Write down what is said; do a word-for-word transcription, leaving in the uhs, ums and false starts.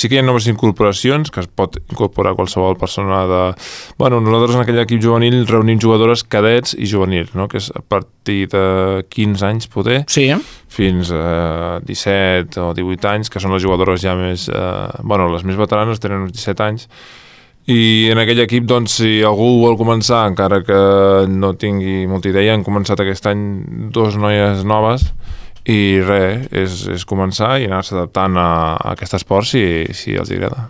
Sí que hi ha noves incorporacions, que es pot incorporar qualsevol persona de... Bueno, nosaltres en aquell equip juvenil reunim jugadores cadets i juvenils, no? Que és a partir de quinze anys, poder, sí. fins a disset o divuit anys, que són les jugadores ja més... Eh, bueno, les més veteranes tenen uns disset anys, i en aquell equip, doncs, si algú vol començar, encara que no tingui molta idea, han començat aquest any dos noies noves, i res, és, és començar i anar-se adaptant a, a aquest esport si, si els agrada.